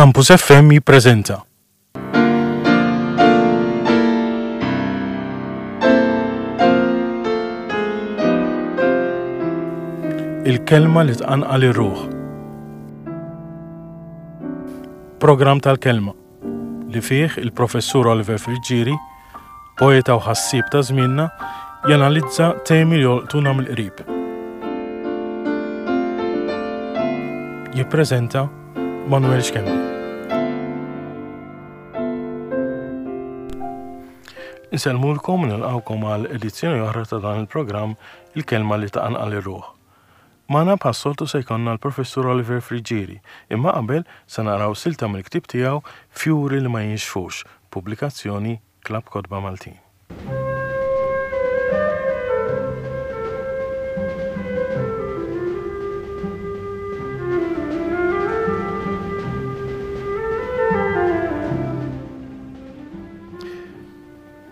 Campus FM jippreżenta. Il-kelma li tqanqal ir-ruħ. Programm tal-kelma li fih il-Professur Oliver Friggieri, poeta u ħassieb ta' żmienna, janalizza temi li jolqtuna mill-qrib. Jippreżenta Manuel Schembri. Insellmulkom u nilqgħukom għal edizzjoni oħra ta' dan il-programm Il-Kelma li Tqanqal ir-Ruħ. Magħna bħas-soltu se jkollna l-Professur Oliver Friggieri, imma qabel se naqraw silta mill-ktieb tiegħu Fjuri li ma jinxfux, pubblikazzjoni Klabb Kotba Maltin.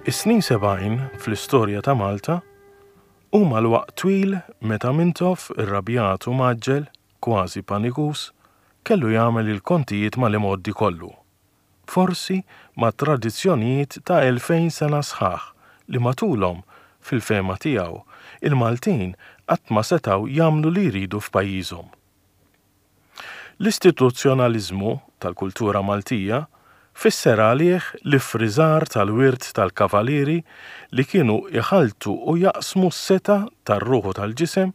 Is-snin 70 fl-istorja ta' Malta Huma l-waqt twil meta Mintoff, irrabjat u mgħaġġel, kważi panikuż, kellu jagħmel il-kontijiet mal-imgħoddi kollu. Forsi mat-tradizzjonijiet ta' 2000 sena sħaħ li matulhom, fil-fehma tiegħu, il-Maltin qatt ma setgħu jagħmlu li jridu f'pajjiżhom. L-istituzzjonaliżmu tal-kultura Maltija fisser għalih l-iffriżar tal-wirt tal-kavalieri li kienu jħalltu u jaqsmu s-setgħa tar-ruħ u tal-ġisem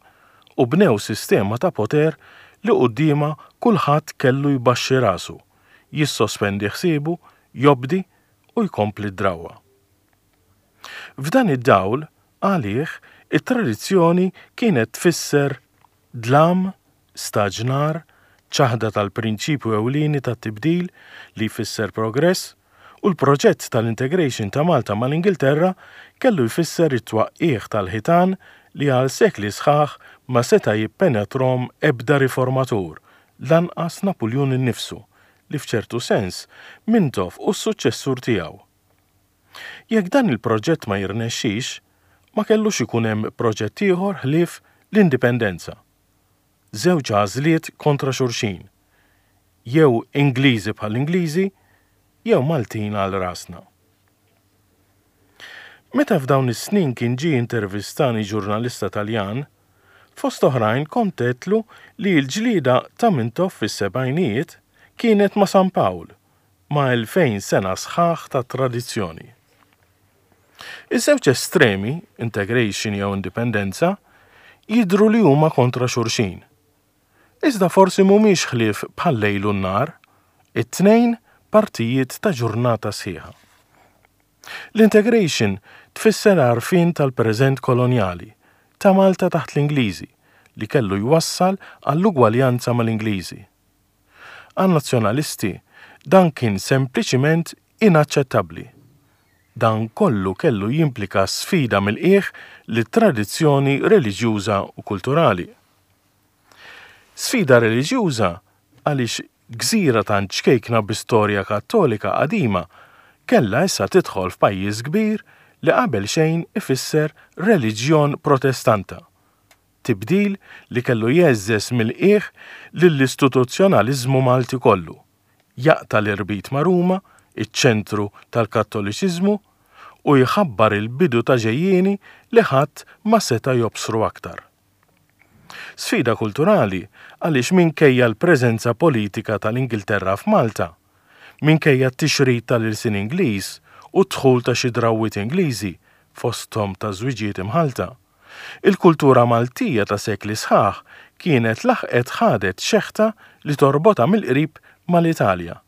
u bnew sistema ta' poter li quddiemha kulħadd kellu jbaxxi rasu, jissospendi ħsiebu, jobdi u jkompli d-drawwa. F'dan id-dawl, għalih, it-tradizzjoni kienet tfisser dlam, staġnar, ċaħda tal-prinċipju ewlieni tat-tibdil li jfisser progress, u l-proġett tal-integration ta' Malta mal-Ingilterra kellu jfisser it-twaqqigħ tal-ħitan li għal sekli sħaħ ma seta' jippenetrhom ebda riformatur, lanqas Napuljun innifsu, li f'ċertu sens Mintoff hu s-suċċessur tiegħu. Jekk dan il-proġett ma jirnexxix, ma kellux ikun hemm proġett ieħor ħlief l-Indipendenza. Żewġ għażliet kontra xulxin. Jew Ingliżi bħall-Ingliżi, jew Maltin għal rasna. Meta f'dawn is-snin kien ġie jintervistani ġurnalista Taljan, fost oħrajn kont għedtlu li l-ġlieda ta' Mintoff fis-sebgħinijiet kienet ma' San Pawl, ma' 2000 sena sħaħ ta' tradizzjoni. Iż-żewġ estremi, integration jew indipendenza, jidhru li huma kontra xulxin. Iżda forsi mhumiex ħlief bħal-lejl u n-nhar, it-tnejn partijiet ta' ġurnata sħiħa. L-integration tfisser għarfien tal-preżent kolonjali, ta' Malta taħt l-Ingliżi, li kellu jwassal għall-ugwaljanza mal-Ingliżi. Għan-Nazzjonalisti dan kien sempliċiment inaċċettabbli. Dan kollu kellu jimplika sfida mill-qiegħ lit-tradizzjoni reliġjuża u kulturali. Sfida reliġjuża għaliex gżira tant ċkejkna bi storja Kattolika qadima kellha issa tidħol f'pajjiż kbir li qabel xejn ifisser reliġjon Protestanta. Tibdil li kellu jgħeżżeż mill-qiegħ lill-istituzzjonaliżmu Malti kollu, jaqta' l-irbit ma' Ruma, iċ-ċentru tal-Kattoliċiżmu, u jħabbar il-bidu ta' ġejjieni li ħadd ma seta' jobsru aktar. Sfida kulturali għaliex minkejja l-preżenza politika tal-Ingilterra f'Malta, minkejja t-tixrid tal-ilsien Ingliż u d-dħul ta' xi drawwiet Ingliżi, fosthom ta' żwiġijiet imħallta, Il-kultura Maltija ta' sekli sħaħ kienet laħqet ħadet xeħta li torbotha mill-qrib mal-Italja,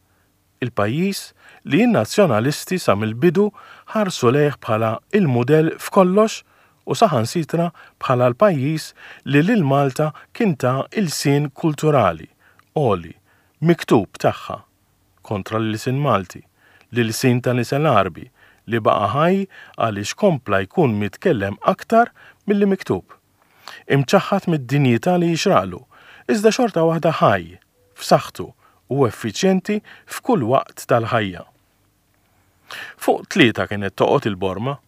il-pajjiż li n-Nazzjonalisti sa mill-bidu ħarsu lejh bħala l-mudell f'kollox u saħansitra bħala l-pajjiż li lil Malta kien ta ilsien kulturali, għoli, miktub tagħha. kontra l-ilsien Malti, l-ilsien ta' nisel Għarbi li baqa' ħaj għaliex kompla jkun mitkellem aktar milli miktub. Imċaħħad mid-dinjità li jixraqlu, iżda xorta waħda ħaj, f'saħħtu u effiċjenti f'kull waqt tal-ħajja. Fuq tlieta kienet toqgħod il-borma.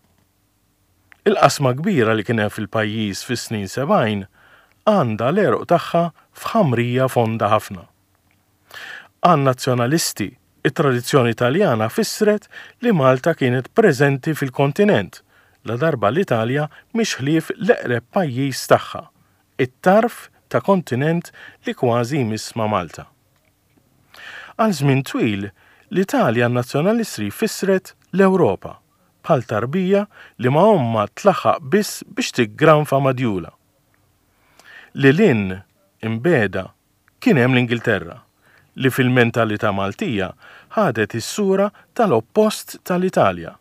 Il-qasma kbira li kien hemm fil-pajjiż fis-snin 70 għandha l-għeruq tagħha f'ħamrija fonda ħafna. Għan-Nazzjonalisti, it-tradizzjoni Taljana fissret li Malta kienet preżenti fil-kontinent, ladarba l-Italja mhix ħlief l-eqreb pajjiż tagħha, it-tarf ta' kontinent li kważi jmiss ma' Malta. Għal żmien twil, l-Italja għan-Nazzjonalistri fissret l-Ewropa, bħal tarbija li ma' ommha tlaħħaq biss biex tiggranfa ma' djulha. Lil hinn, imbiegħda, kien hemm l-Ingilterra, li fil-mentalità Maltija ħadet is-sura tal-oppost tal-Italja.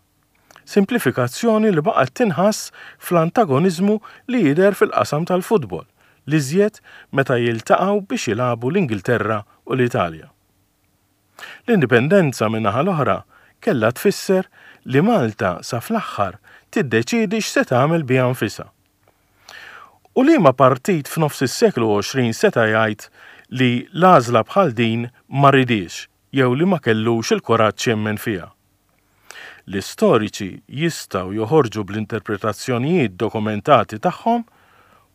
Simplifikazzjoni li baqgħet tinħass fl-antagoniżmu li jidher fil-qasam tal-futbol, l-iżjed meta jiltaqgħu biex jilagħbu l-Ingilterra u l-Italja. L-Indipendenza min-naħa l-oħra kellha tfisser li Malta sa fl-aħħar tiddeċiedi x'se tagħmel biha nfisha. U liema partit f'nofs is-seklu 20 seta' jgħid li l-għażla bħal din ma ridhiex jew li ma kellux il-kuraġġ jemmen fiha? L-istoriċi jistgħu joħorġu bl-interpretazzjonijiet dokumentati tagħhom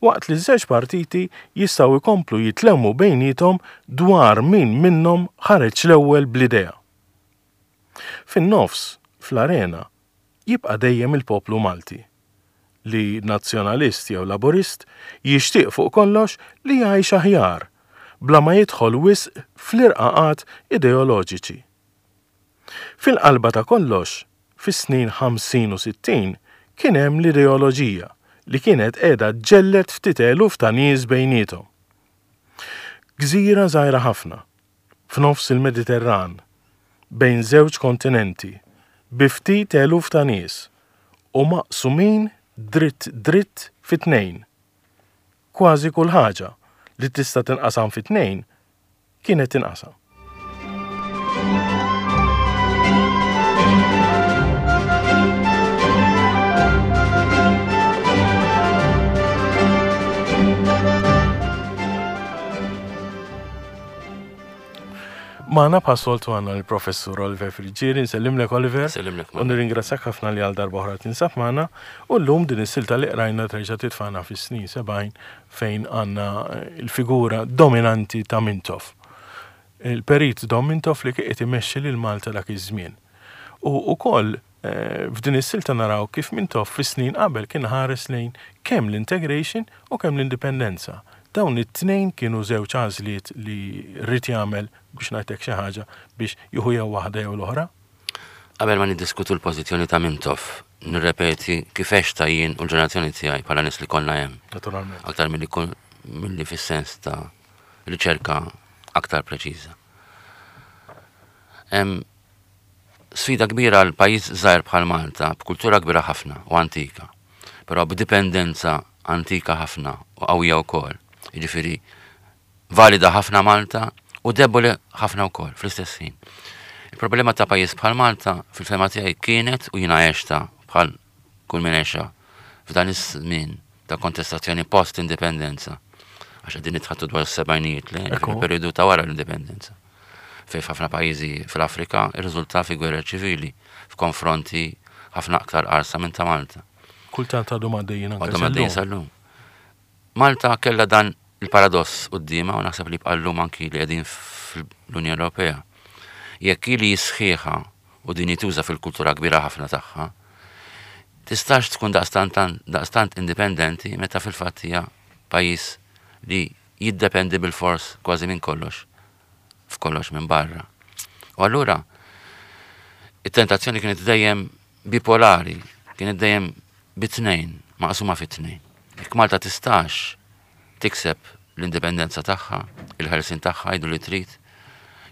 waqt li ż-żewġ partiti jistgħu jkomplu jitlewmu bejniethom dwar min minnhom ħareġ l-ewwel bl-idea. Fin-nofs, fl-arena, jibqa' dejjem il-poplu Malti, li Nazzjonalist jew Laburist jixtieq fuq kollox li jgħix aħjar, bla ma jidħol wisq fl-irqaqat ideoloġiċi. Fil-qalba ta' kollox, fis-snin 50 u 60 kien hemm l-ideoloġija li kienet qiegħda ġġelled ftit eluf ta' nies bejniethom. Gżira żgħira ħafna, f'nofs il-Mediterran, bejn żewġ kontinenti, bi ftit eluf ta' nies u maqsumin dritt dritt fi tnejn. Kważi kull ħaġa li tista' tinqasam fi tnejn kienet tinqasam. Magħna bħas-soltu għandna l-Professur Oliver Friggieri, nsellimlek Oliver. Sellimlek. U nirringrazzjak ħafna li għal darba oħra tinsab magħna. U llum din is-silta li qrajna terġa' titfagħna fis-snin 70 fejn għandna l-figura dominanti ta' Mintoff. Il-perit Dom Mintoff li kien qed imexxi lil Malta dak iż-żmien. U wkoll eh, f'din is-silta naraw kif Mintoff fis-snin qabel kien ħares lejn kemm l-integration u kemm l-indipendenza. Dawn it-tnejn kienu żewġ għażliet li rrid jagħmel biex ngħidlek xi ħaġa biex jieħu jew waħda jew l-oħra. Qabel ma niddiskutu l-pożizzjoni ta' Mintoff, nirrepeti kif għextha jien u l-ġenerazzjoni tiegħi bħala nies li konna hemm. Naturalment. Aktar milli milli fis-sens ta' riċerka aktar preċiża. Hemm sfida kbira għal pajjiż żgħir bħal Malta, b'kultura kbira ħafna u antika, però b'dipendenza antika ħafna u qawwija wkoll. Jiġifieri valida ħafna Malta u deboli ħafna wkoll fl-istess ħin. Il-problema ta' pajjiż bħal Malta fil-fehma tiegħi kienet u jiena għexta bħal kull min għexha f'dan iż-żmien ta' kontestazzjoni post-indipendenza. Għax qegħdin nitħattu dwar is-sebgħinijiet le, il-perjodu ta' wara l-indipendenza. Fejn f'ħafna pajjiżi fl-Afrika irriżulta fi gwerer ċivili, f'konfronti ħafna aktar qarsa minn ta' Malta. Kultant għadhom għaddejjin anke Għadhom għaddejjin sal-lum. Malta kellha dan il-paradoss quddiemha u naħseb li jibqa' llum anki li qegħdin fl-Unjoni Ewropea. Jekk hi li hi sħiħa u dinjituża fil-kultura kbira ħafna tagħha, tistax tkun daqstant daqstant indipendenti meta fil-fatt hija pajjiż li jiddependi bilfors kważi minn kollox f'kollox minn barra. U allura it-tentazzjoni kienet dejjem bipolari, kienet dejjem bi tnejn, maqsuma fi tnejn. Jekk Malta tistax tikseb l-indipendenza tagħha, il-ħelsien tagħha, għidu li trid,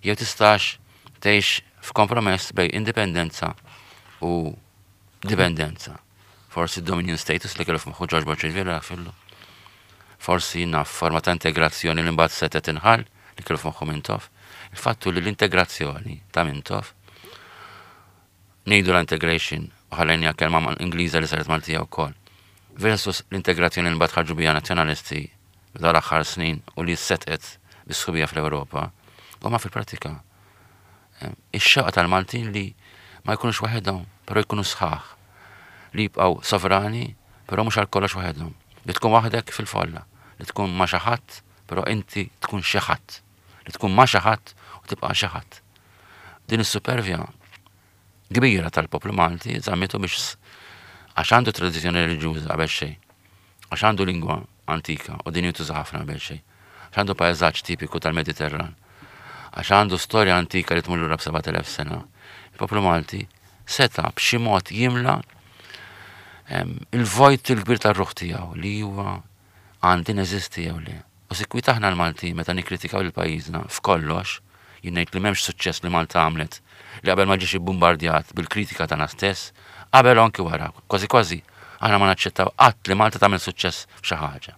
jew tistax tgħix f'kompromess bejn indipendenza u dipendenza. Forsi dominion status li kellu f'moħħu George Borg Olivier fillu. Forsi naf forma ta' integrazzjoni li mbagħad setgħet inħall li kellu f'moħħu Mintoff. Il-fattu li l-integrazzjoni ta' Mintoff ngħidu l-integration u ħallejniha kelma Ingliża li saret Maltija wkoll. Versus l-integrazzjoni li mbagħad ħarġu biha nazzjonalisti f'dawn l-aħħar snin u li setqet bis-sħubija fl-Ewropa, huma fil-prattika eh, ix-xewqa tal-Maltin li ma jkunux waħedhom, però jkunu sħaħ, li jibqgħu sovrani, però mhux għal kollox waħedhom. Li tkun waħdek fil-folla, li tkun ma' xi ħadd, però inti tkun xi ħadd. Li tkun ma' xi ħadd u Tibqa' xi ħadd. Din is-supervja kbira tal-poplu Malti żammitu biex għax għandu tradizzjoni reliġjuża qabel xejn, għax għandu lingwa antika u din jintuża ħafna qabel xejn, għax għandu pajżaġġ tipiku tal-Mediterran, għax għandu storja antika li tmur lura b'7000 sena. Il-poplu Malti seta' b'xi mod jimla il-vojt il-kbir tar-ruħ tiegħu li huwa għandi neżisti jew le. U sikwit aħna l-Maltin meta nikkritikaw lil pajjiżna f'kollox, jien ngħid li m'hemmx suċċess li Malta għamlet li qabel ma ġiex ibbumbardjat bil-kritika tagħna stess, qabel u anki wara, kważi kważi aħna ma naċċettaw qatt li Malta tagħmel suċċess f'xi ħaġa.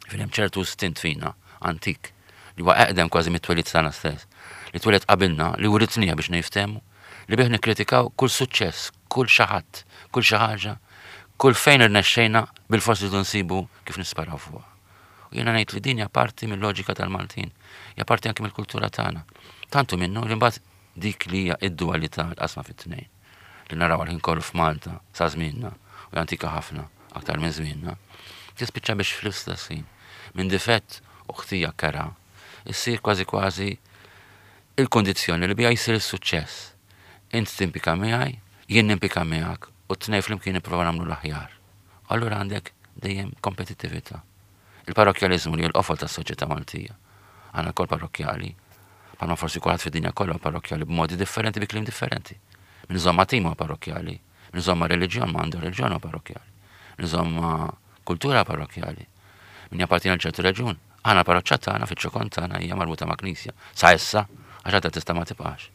Jiġifieri hemm ċertu stint fina, antik, li huwa eqdem kważi mit-twelid tagħna stess, li twieled qabilna, li writniha biex niftehmu, li bih nikkritikaw kull suċċess, kull xi ħadd, kull xi ħaġa, kull fejn irnexxejna bilfors irridu nsibu kif nisparaw fuqha. U jiena ngħid li din hija parti mill-loġika tal-Maltin, hija parti anki mill-kultura tagħna. Tant hu minnu li mbagħad dik li hija id-dualità l-qasma fit-tnejn li naraw għal ħin kollu f'Malta sa żmienna u antika ħafna aktar minn żmienna, tispiċċa biex fl-istess ħin minn difett u ħtija kera issir kważi kważi il-kundizzjoni li biha jsir is-suċċess. Int timpika miegħi, jien nimpika miegħek u t-tnejn flimkien nipprova nagħmlu l-aħjar. Allura għandek dejjem kompetittività. Il-parrokkjaliżmu li l-qofol tas-soċjetà Maltija. Aħna lkoll parrokkjali, bħalma forsi kulħadd fid-dinja kollha parrokkjali b'modi differenti bi kliem differenti. Min iżomm ma' tim huwa parrokkjali, min iżomm ma' reliġjon ma għandu reliġjon huwa parrokkjali, min iżomm ma' kultura parrokkjali, min jappartieni għal ċertu reġjun. Aħna l-parroċċa tagħna fiċ-ċokon tagħna hija marbuta ma' knisja. Sa issa, għax għadha tista' ma tibqax.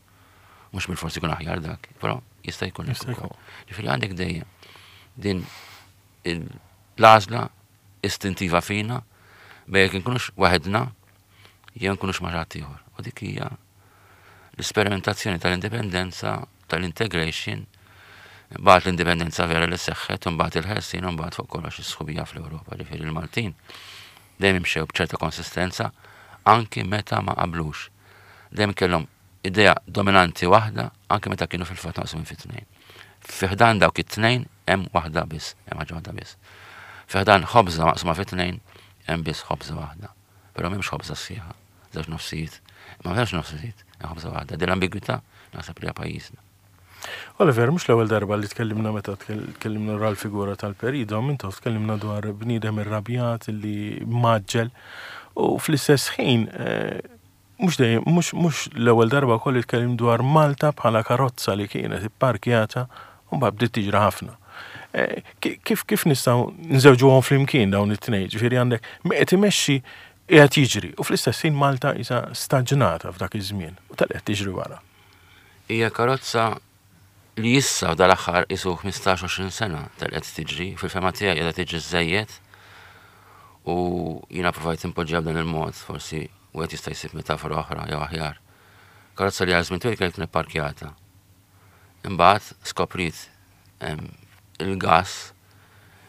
Mhux bil-forsi jkun aħjar dak, però jista' jkun hekk ukoll. Ġifieri għandek dejjem din l-għażla istintiva fina bejn jekk inkunux waħedna jew nkunux ma' ħadd ieħor. U dik hija l-isperimentazzjoni tal-indipendenza, tal-integration, mbagħad l-indipendenza vera li seħħet, u mbagħad il-ħelsien, u mbagħad fuq kollox is-sħubija fl-Ewropa, ġifieri l-Maltin dejjem imxew b'ċerta konsistenza anki meta ma qablux. Dejjem kellhom idea dominanti waħda anki meta kienu fil-fatt maqsumin fi tnejn. Fi ħdan dawk it-tnejn hemm waħda biss, hemm ħaġa waħda biss. Fi ħdan ħobża maqsuma fi tnejn hemm biss ħobża waħda. Però m'hemmx ħobża sħiħa, żewġ nofsijiet. Ma m'hemmx nofsijiet, hemm ħobża waħda. Din l-ambigwità naħseb li hija pajjiżna. Oliver, mhux l-ewwel darba li tkellimna meta tkellimna dwar l-figura tal-Perido, Mintoff tkellimna dwar bniedem irrabjat li mgħaġġel u fl-istess ħin eh, mhux dejjem mhux l-ewwel darba wkoll li tkellim dwar Malta bħala karozza li kienet ipparkjata u mbagħad bdiet tiġri ħafna. Eh, kif kif nistgħu nżewġuhom flimkien dawn it-tnejn, ġifieri għandek qed imexxi qiegħed jiġri u fl-istess ħin Malta isa staġnata f'dak iż-żmien u tal qed tiġri wara. Hija karozza li issa dal-aħħar qisu 15-20 sena telqet tiġri, fil-fehma tiegħi qiegħda tiġri żżejjed u jiena provajt inpoġġiha b'dan il-mod, forsi wieħed jista' jsib metafora oħra jew aħjar. Karozza li għal żmien twil kienet ipparkjata. Imbagħad skopriet il-gass,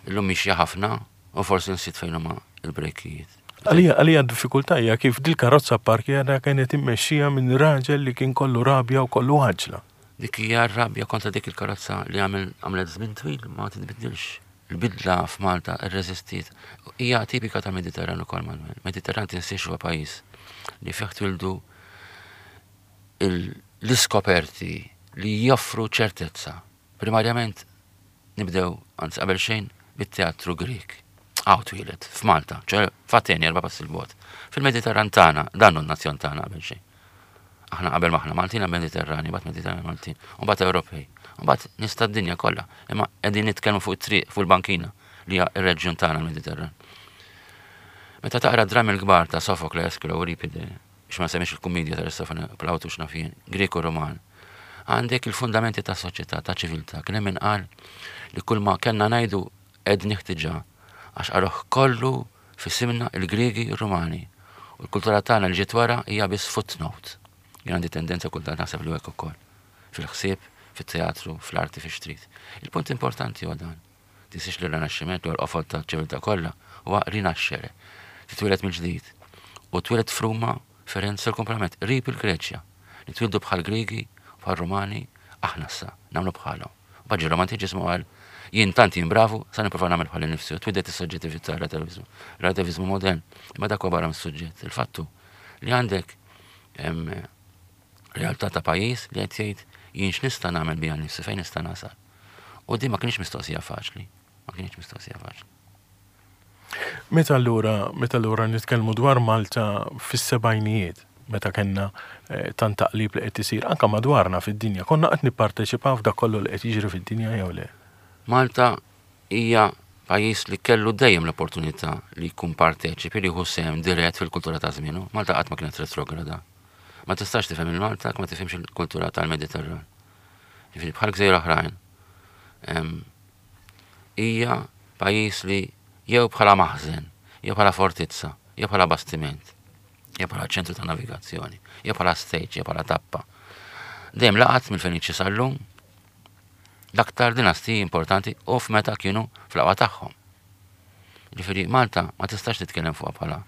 illum mixja ħafna u forsi nsiet fejn huma l-brejkijiet. Għalija għalija d-diffikultà hija kif dil-karozza pparkjata kienet immexxija minn raġel li kien kollu rabja u kollu għaġla. Dik hija r-rabja kontra dik il-karozza li għamel għamlet żmien twil ma titbiddilx. Il-bidla f'Malta rreżistiet. Hija tipika tal-Mediterran ukoll Manuel. Mediterran tinsiex huwa pajjiż li fih twildu l-iskoperti li joffru ċertezza. Primarjament Nibdew, anzi qabel xejn, bit-teatru Grieg. Hawn twieled, f'Malta, ċoe f'Ateni erba' passi 'l bogħod. Fil-Mediterran tagħna, dan hu n-nazzjon tagħna qabel xejn. Aħna qabel ma aħna Maltin aħna Mediterrani, mbagħad Mediterrani Maltin, u mbagħad Ewropej, u mbagħad nies tad-dinja kollha. Imma qegħdin nitkellmu fuq it-triq, fuq il-bankina li hija r-reġjun tagħna l-Mediterran. Meta taqra d-drammi l-kbar ta' Sofokle, Eskilo, Euripide, biex ma nsemmix il-kummedja ta' Aristofane, Plawtu x'naf jien, Grieg u Ruman, għandek il-fundamenti ta' soċjetà, ta' ċiviltà. Kien hemm min qal li kull ma kellna ngħidu għednih diġà, għax qaluh kollu f'isimna il-Griegi u r-Rumani. U l-kultura tagħna li ġiet wara hija biss footnote. Jien għandi tendenza kultant naħseb li hu hekk ukoll. Fil-ħsieb, fit-teatru, fl-arti, fiex trid. Il-punt importanti huwa dan. Tinsiex li r-Rinaxximent, li huwa l-qofol taċ-ċiviltà kollha, huwa rinascere, titwieled mill-ġdid. U twieled f'Ruma, Firenze u l-kumplament, qrib il-Greċja. Nitwieldu bħall-Griegi u bħar-Rumani, aħna issa, nagħmlu bħalhom. U mbagħad ġie r-Romantiċiżmu qal, jien tant jien bravu, sa nipprova nagħmel bħali nnifsi. U twieldet is-soġġettività, r-relativiżmu, relativiżmu modern. Imma dak huwa barra mis-suġġett. Il-fatt hu li għandek Realtà ta' pajjiż li qed jgħid jien x'nista' nagħmel bija nnifsi, fejn nista' nasal. U din ma kinitx mistoqsija faċli, ma kinitx mistoqsija faċli. Meta allura, meta allura nitkellmu dwar Malta fis-sebgħinijiet, meta kellna eh, tant taqlib li qed isir anke madwarna fid-dinja, konna qed nipparteċipaw f'dak kollu li qed jiġri fid-dinja jew le? Malta hija pajjiż li kellu dejjem l-opportunità li jkun parteċipi li jieħu sehem dirett fil-kultura ta' żmienu. Malta qatt ma kienet retrograda. Ma tistax tifhem il-Malta ma tifhimx il-kultura tal-Mediterran. Jiġifieri bħal gżejjer oħrajn. Hija pajjiż li jew bħala maħżen, jew bħala fortizza, jew bħala bastiment, jew bħala ċentru ta' navigazzjoni, jew bħala stage, jew bħala tappa. Dejjem laqat mill-Feniċi sal-lum l-aktar dinastiji importanti u f'meta kienu fl-aqwa tagħhom. Ġifieri Malta ma tistax titkellem fuqha bħala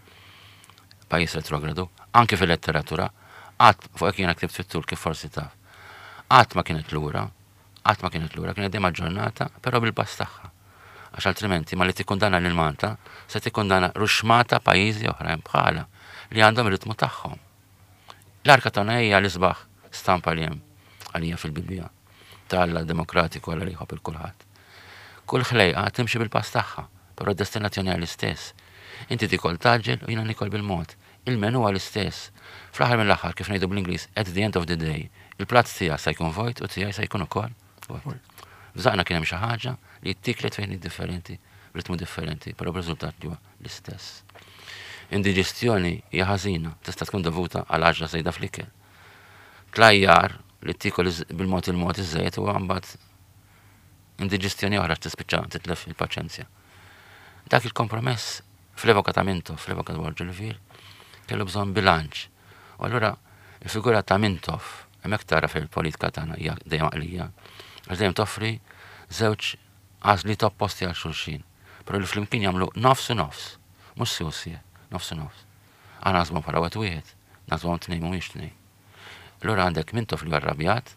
pajjiż retrogradu, anke fil-letteratura, qatt fuq hekk jiena ktibt fit-tul kif forsi taf. Qatt ma kienet lura, qatt ma kienet lura, kienet dejjem aġġornata, però bil-pass tagħha. Għax altrimenti malli tikkundanna lil Malta, se tikkundanna ruxxmata pajjiżi oħrajn bħalha li għandhom ir-ritmu tagħhom. L-Arka ta' Noè hija l-isbaħ stampa li hemm għalija fil-Bibbja ta' Alla demokratiku, Alla li jħobb il kulħadd. Kull ħlejqa timxi bil-pass tagħha, però d-destinazzjoni hija l-istess. Inti tikol tgħaġġel u jiena nikol bil-mod. Il-menu huwa l-istess. Fl-aħħar mill-aħħar, kif ngħidu bl-Ingliż, at the end of the day, il-platt tiegħek sa jkun vojt u tiegħi sa jkun ukoll vojt. F'żaqna kien hemm xi ħaġa li ttiklet fejn differenti, b'ritmu differenti, però b'riżultat li huwa l-istess. Indiġestjoni hija ħażina, tista' tkun dovuta għal għaġla żejda fl-ikel. Tlajjar li tiekol bil-mod il-mod iżżejjed huwa mbagħad indiġestjoni oħra tispiċċa titlef il-paċenzja. Dak il-kompromess fl-epoka ta' Mintoff, fl-epoka ta' Borg Olivier, kellu bżonn bilanċ. U allura il-figura ta' Mintoff, hemmhekk tara fil-politika tagħna hija dejjem għaqlija, għax dejjem toffri żewġ għażliet opposti għal xulxin, però li flimkien jagħmlu nofs u nofs, mhux si u sie, nofs u nofs. Aħna naħsbuhom bħala wieħed wieħed, naħsbuhom tnejn mhumiex tnejn. Allura għandek Mintoff li huwa rrabjat,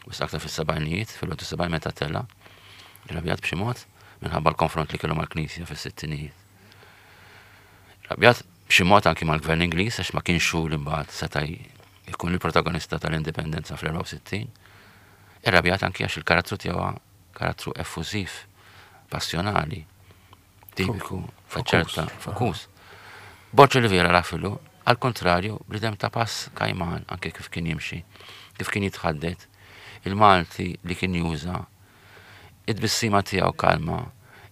wisq aktar fis-sebgħinijiet, fil-71 meta tela', irrabjat b'xi mod minħabba l-konfront li kellu mal-Knisja fis-sittinijiet. Irrabjat b'xi mod anki mal-Gvern Ingliż għax ma kienx hu li mbagħad seta' jkun il-protagonista tal-indipendenza fl-64. Irrabjat anki għax il-karattru tiegħu karattru effużiv, passjonali, tipiku, faċerta, fokus. Borg Olivier rafilu, għal kontrarju, bniedem ta' pass kajman anke kif kien jimxi, kif kien jitħaddet, il-Malti li kien juża, it-tbissima tiegħu kalma,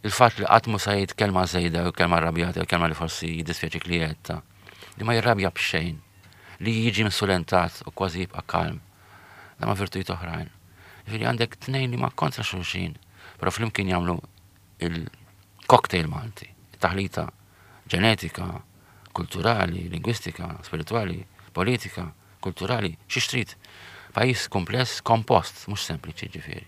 il-fatt li qatt mhu sa jgħid kelma żejda jew kelma rrabjata jew kelma li forsi jiddispjaċik li għedtha, li ma jirrabja b'xejn, li jiġi insulentat u kważi jibqa' kalm. Dan ma' virtujiet oħrajn. Jiġifieri għandek tnejn li ma kontra xulxin, però flimkien jagħmlu il-cocktail Malti, taħlita ġenetika, kulturali, lingwistika, spiritwali, politika, kulturali, xi trid. Pajjiż kumpless, kompost, mhux sempliċi ġifieri.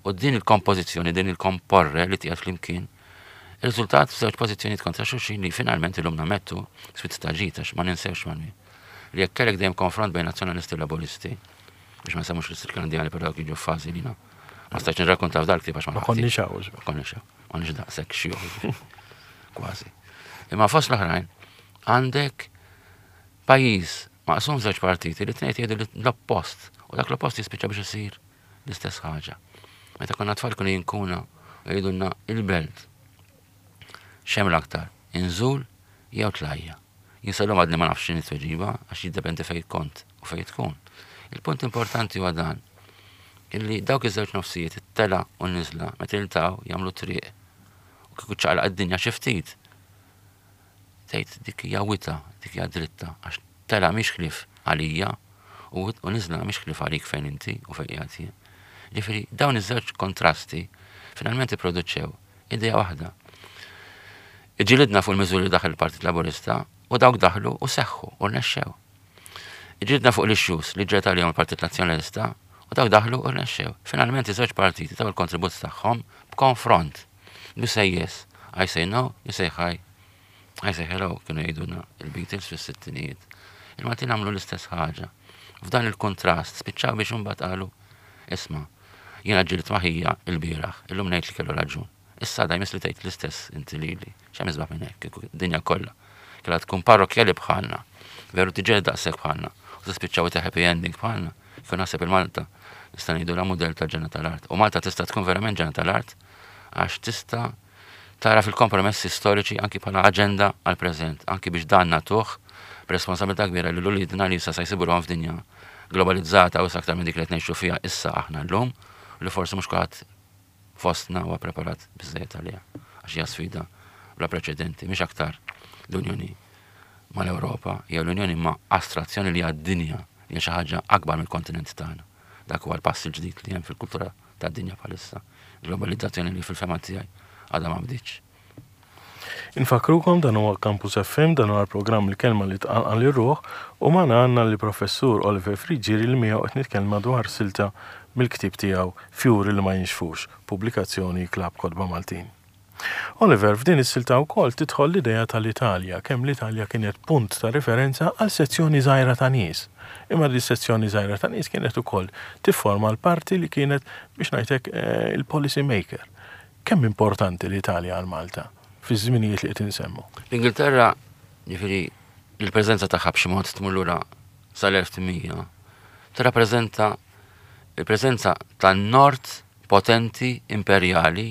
U din il-kompożizzjoni, din il-komporre li tiegħed flimkien, riżultat f'żewġ pożizzjonijiet kontra xulxin li finalment illum nammettu swit ta' ġid għax ma ninsewx ma li jekk kellek dejjem konfront bejn nazzjonalisti u laburisti, biex ma nsemmux l-istriklandjani però dawk jiġu f'fażi li ma stajtx nirrakkonta f'dal ktieb għax ma konniex hawn. Ma konniex hawn. Ma konniex daqshekk xjuħ. Kważi. Imma fost l-oħrajn għandek pajjiż maqsum żewġ partiti li tnejn jgħidu l-oppost u dak l-oppost jispiċċa biex isir l-istess ħaġa. Meta konna tfal kienu jinkuna u jgħidulna il-belt. X'hemm l-aktar? Inżul jew tlajja? Jien sal-lum għadni ma nafx x'inhi t-tweġiba għax jiddependi fejn kont u fejn tkun. Il-punt importanti huwa dan illi dawk iż-żewġ nofsijiet it-tela u n-niżla meta jiltaqgħu jagħmlu triq u kieku ċaqlaq id-dinja xi ftit tgħid dik hija wita, dik hija dritta għax tela mhix ħlief għalija u niżla mhix ħlief għalik fejn inti u fejn qiegħed jien. Ġifieri dawn iż-żewġ kontrasti finalment ipproduċew idea waħda. Iġġilidna fuq il-miżuri li daħal il-Partit Laburista u dawk daħlu u seħħu u rnexxew. Iġġilidna fuq l-issues li ġġieled għalihom il-Partit Nazzjonalista u dawk daħlu u rnexxew. Finalment iż-żewġ partiti taw il-kontribut tagħhom b'konfront. You say yes, I say no, you say hi, I say hello, kienu jgħidulna il-Beatles fis-sittinijiet. Il-Maltin għamlu l-istess ħaġa. F'dan il-kontrast spiċċaw biex imbagħad qalu, isma', jiena ġġilidt ma' ħija l-bieraħ, illum ngħid li kellu raġun. Issa għada jmiss li tgħid l-istess inti lili. X'hemm isbaħ minn hekk, kieku d-dinja kollha kellha tkun parrokkjali bħalna, veru tiġġieled daqshekk bħalna. u tispiċċaw ta' happy ending bħalna. Kif naħseb il-Malta nista' ngħidu la mudell ta' ġenna tal-art. U Malta tista' tkun verament ġenna tal-art għax tista' tara fil-kompromessi storiċi anki bħala aġenda għal-preżent, anki biex dan nagħtuh b'responsabilità kbira lil uliedna li issa se jsibuhom f'dinja globalizzata u aktar minn dik li qed ngħixu fiha issa aħna llum u li forsi mhux kulħadd fostna huwa preparat biżejjed għaliha għax hija sfida bla preċedenti, mhix aktar l-Unjoni mal-Ewropa, jew l-Unjoni ma' astrazzjoni li għad-dinja hija xi ħaġa akbar mill-kontinent tagħna. Dak huwa l-pass il-ġdid li hemm fil-kultura tad-dinja bħalissa. Globalizzazzjoni li fil-fema tiegħi għadha ma bdietx. Infakkrukom dan huwa Campus FM, dan huwa l-programm Il-Kelma li Tqanqal ir-Ruħ u magħna għandna lill-Professur Oliver Friggieri li miegħu qed nitkellma dwar silta mill-ktieb tiegħu Fjuri li ma Jinxfux, pubblikazzjoni Klabb Kotba Maltin. Oliver, f'din is-silta wkoll tidħol l-idea tal-Italja, kemm l-Italja kienet punt ta' riferenza għal sezzjoni żgħira ta' nies. Imma din is-sezzjoni żgħira ta' nies kienet ukoll tifforma l-parti li kienet, biex ngħid hekk, il-policy maker. Kemm importanti l-Italja għal Malta fiż-żminijiet li qed insemmu? L-Ingilterra, jiġifieri l-preżenza tagħha b'xi mod tmur lura sal-1800, tirrappreżenta l-preżenza tan-Nord potenti imperjali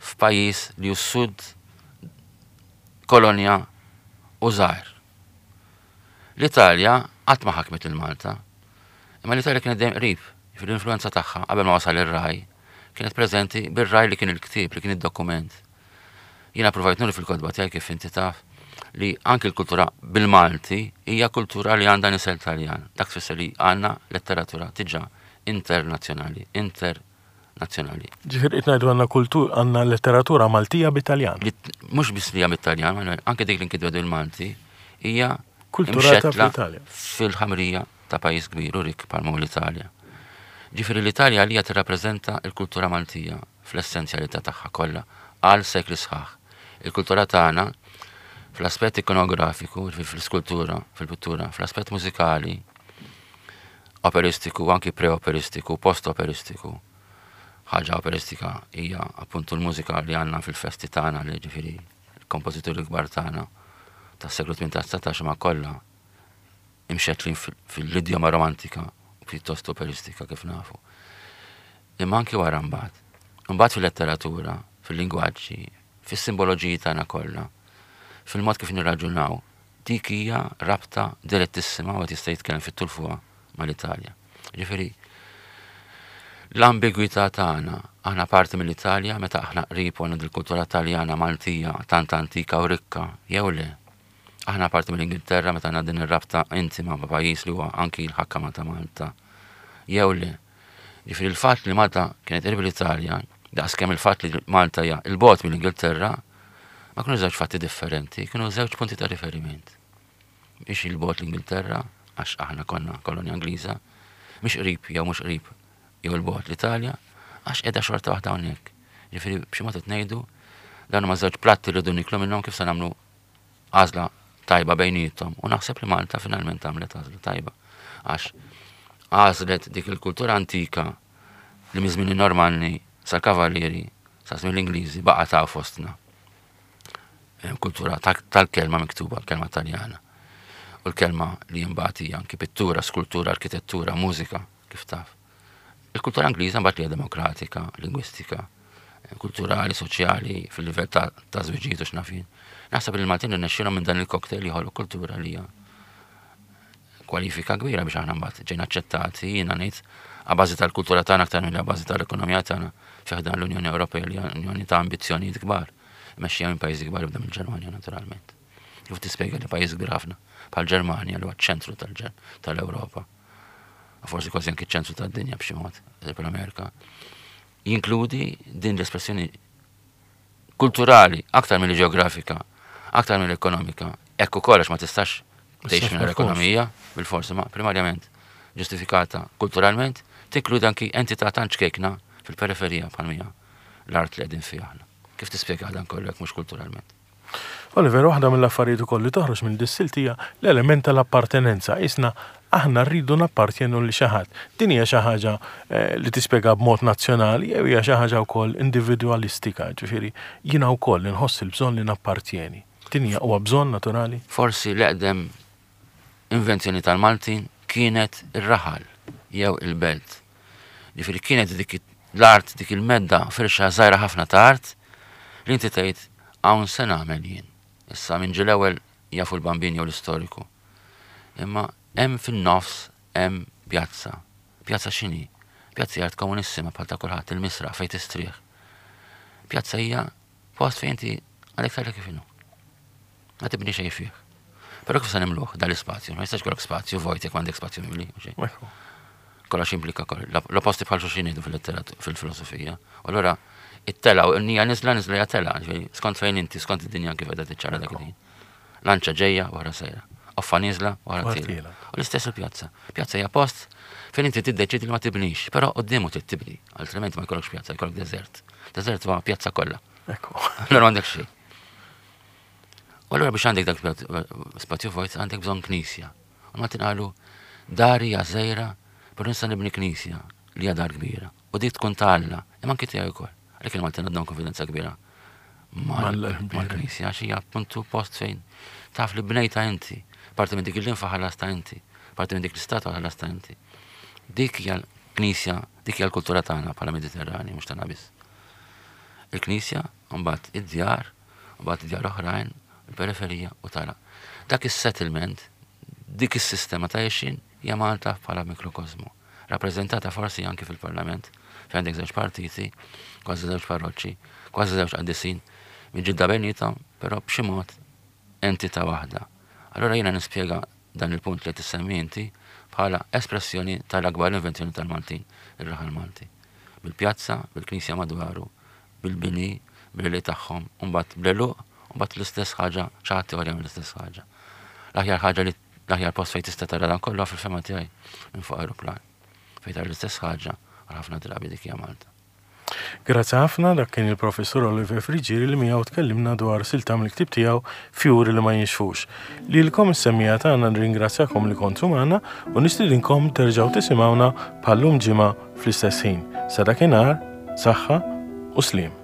f'pajjiż li hu s-Sud kolonja u żgħir. L-Italja qatt ma ħakmet lil Malta, imma l-Italja kienet dejjem qrib, jiġifieri l-influwenza tagħha qabel ma wasal ir-raj kienet preżenti bir-raj li kien il-ktieb, li kien id-dokument. Jiena provajt nuri fil-kotba tiegħi kif inti taf li anki l-kultura bil-Malti hija kultura li għandha nisel Taljan. Dak tfisser li għandna letteratura diġà internazzjonali, inter nazzjonali. Ġifieri qed ngħidu għandna kultur għandna letteratura Maltija bit-Taljan. Mhux biss li hija bit-Taljan, anke dik li nkitbet bil-Malti hija kulturata fl-Italja. Fil-ħamrija ta' pajjiż kbir u rikk bħalma l-Italja. Ġifieri l-Italja għalija tirrappreżenta l-kultura Maltija fl-essenzjalità tagħha kollha għal sekli sħaħ. Il-kultura tagħna fl-aspett ikonografiku, fl-iskultura, fil-pittura, fl-aspett mużikali, operistiku, anki pre-operistiku, post-operistiku. Ħaġa operistika hija appuntu l-mużika li għandna fil-festi tagħna li ġifieri l-kompożituri kbar tagħna tas-seklu 18-19 ma kollha imxettlin fil-idjoma romantika u pjuttost operistika kif nafu. Imma anki wara mbagħad. Imbagħad fil-letteratura, fil-lingwaġġi, fis-simboloġiji tagħna kollha, fil-mod kif nirraġunaw, Dik hija rabta direttissima u qed jista' jitkellem fit-tul fuqha mal-Italja. Ġifieri, l-ambigwità tagħna, aħna parti mill-Italja meta aħna qrib u għandna dil-kultura Taljana Maltija tant antika u rikka, jew le? Aħna parti mill-Ingilterra meta għandna din ir-rabta intima ma' pajjiż li huwa anki l-ħakkama ta' Malta, jew le? Ġifieri l-fatt li Malta kienet qrib l-Italja, daqskemm il-fatt li Malta hija 'l bogħod mill-Ingilterra, ma kienu żewġ fatti differenti, kienu żewġ punti ta' riferiment. Mhix 'il bogħod l-Ingilterra, għax aħna konna kolonja Ingliża, mhix qrib jew mhux qrib jew 'il bogħod l-Italja, għax qiegħda xorta waħda hawnhekk. Ġifieri b'xi mod qed ngħidu dawn huma żewġ platti li rridu niklu minnhom kif se nagħmlu għażla tajba bejniethom u naħseb li Malta finalment għamlet għażla tajba għax għażlet dik il-kultura antika li minn żmien in-Normanni sal-Kavallieri sa żmien l-Ingliżi baqa' ta' fostna. Kultura tal-kelma miktuba, l-kelma Taljana. U l-kelma li imbagħad hija anki pittura, skultura, arkitettura, mużika, kif taf. Il-kultura Ingliża mbagħad li hija demokratika, lingwistika, kulturali, soċjali, fil-livell ta' ta' żwiġijiet u x'naf jien. Naħseb li l-Maltin irnexxielhom minn dan il-cocktail joħolqu kultura li hija kwalifika kbira biex aħna mbagħad ġejna aċċettati, jiena ngħid, a bażi tal-kultura tagħna aktar milli a bażi tal-ekonomija tagħna fi ħdan l-Unjoni Ewropea li hija unjoni ta' ambizzjonijiet kbar, mexxija minn pajjiżi kbar ibda mill-Ġermanja naturalment. Kif tispjega li pajjiż kbir ħafna bħal-Ġermanja li huwa ċ-ċentru tal-Ewropa, u forsi kważi anki ċ-ċentru tad-dinja b'xi mod, eżempju l-Amerika, jinkludi din l-espressjoni kulturali aktar milli ġeografika, aktar milli ekonomika, hekk ukoll għax ma tistax tgħix mingħajr ekonomija, bil-forsi ma primarjament ġustifikata kulturalment, tinkludi anki entità tant ċkejkna fil-periferija bħal mija l-art li qegħdin fiha aħna. Kif tispjega dan kollu jekk mhux kulturalment? Oliver, waħda mill-affarijiet ukoll li toħroġ minn dis-silt hija l-element tal-appartenenza. Qisna aħna rridu nappartjenu lil xi ħadd. Din hija xi ħaġa li tispjega b'mod nazzjonali jew hija xi ħaġa wkoll individwalistika, ġifieri jiena wkoll inħoss il-bżonn li nappartjeni. Din hija huwa bżonn naturali? Forsi l-eqdem invenzjoni tal-Maltin. kienet ir-raħal jew il-belt. Ġifieri kienet dik l-art, dik il-medda firxa żgħira ħafna ta' art li inti tgħid hawn se nagħmel jien. Issa minn ġie l-ewwel jafu l-bambin jew l-istoriku. Imma hemm fin-nofs hemm pjazza. Pjazza x'inhi? Pjazza hija art komunissima bħal ta' kulħadd, il-misraħ fejn tistrieħ. Pjazza hija post fejn inti għalek tara kif inhu. Ma tibni xejn fih. Però kif se nimluh dal-ispazju? Ma jistax jkollok spazju vojt jekk m'għandek spazju mimli. Kollox implika kollox. L-opposti bħal xulxin jgħidu fil-filosofija. U allura it-tela u nija niżla niżla hija tela, skont fejn inti, skont id-dinja kif qiegħda tiċċara dak il-ħin. Lanċa ġejja wara sejra. Offa niżla wara tiela. U l-istess il-pjazza. Pjazza hija post fejn inti tiddeċidi li ma tibnix, però quddiemu trid tibni, altrimenti ma jkollokx pjazza, jkollok deżert. Deżert huwa pjazza kollha. Ekku. Allura m'għandek xejn. U allura biex għandek dak spazju vojt għandek bżonn knisja. U ma tinqalu dari hija żgħira, però nista' nibni knisja li hija dar kbira. U dik tkun ta' Alla, imma anki tiegħi wkoll. Għalhekk il-Maltin għandhom konfidenza kbira mal-knisja għax hija appuntu post fejn taf li bnejta inti, parti minn dik il-linfa ħallasta inti, parti minn dik l-istatwa ħallasta inti. Dik hija l-knisja, dik hija l-kultura tagħna bħala Mediterrani, mhux tagħna biss. Il-knisja, mbagħad id-djar, mbagħad djar oħrajn, il-periferija u tara. Dak is-settlement, dik is-sistema ta' għexien hija Malta bħala mikrokosmu. Rappreżentata forsi anki fil-Parlament, fejn għandek żewġ partiti, kważi żewġ parroċċi, kważi żewġ qaddisin, miġġielda bejniethom, però b'xi mod entità waħda. Allura jiena nispjega dan il-punt li qed issemmi inti bħala espressjoni tal-akbar invenzjoni tal-Maltin, ir-raħal Malti. Bil-pjazza, bil-knisja madwaru, bil-bini, bil-għelieq tagħhom, u mbagħad bl-għeluq, u mbagħad l-istess ħaġa, xi ħadd ieħor jagħmel l-istess ħaġa. L-aħjar ħaġa li l-aħjar post fejn tista' tara dan kollu fil-fema tiegħi minn fuq aeroplan. Fejn tara l-istess ħaġa għal ħafna drabi dik hija Malta. Grazzi ħafna, dak kien il-Professur Oliver Friggieri li miegħu tkellimna dwar silta mill-ktieb tiegħu Fjuri li ma jinxfux. Lilkom is-semmiegħa tagħna nirringrazzjakom li kontu magħna u nistidinkom terġgħu tisimgħuna bħal-lum ġimgħa fl-istess ħin. Sa dakinhar, saħħa u sliem.